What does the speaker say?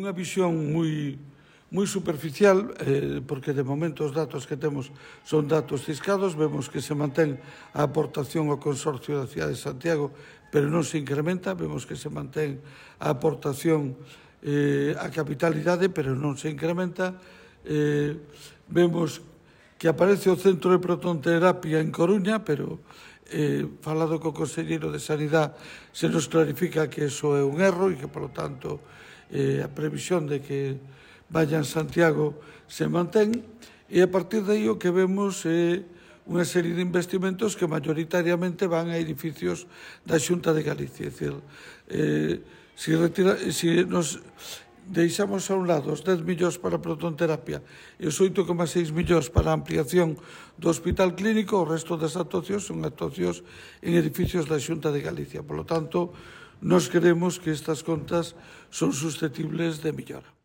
unha visión moi superficial, porque de momento os datos que temos son datos ciscados, vemos que se mantén a aportación ao Consorcio da Cidade de Santiago, pero non se incrementa, vemos que se mantén a aportación á capitalidade, pero non se incrementa, vemos que aparece o Centro de Protonterapia en Coruña, pero falado co conselleiro de Sanidade se nos clarifica que eso é un erro e que, polo tanto, a previsión de que vaya en Santiago se mantén, e a partir de aí o que vemos é unha serie de investimentos que mayoritariamente van a edificios da Xunta de Galicia. É dicir, se nos deixamos a un lado os 10 millóns para a protonterapia e os 8,6 millóns para a ampliación do Hospital Clínico, o resto das actuacións son actuacións en edificios da Xunta de Galicia. Por lo tanto, nós creemos que estas contas son susceptibles de mellora.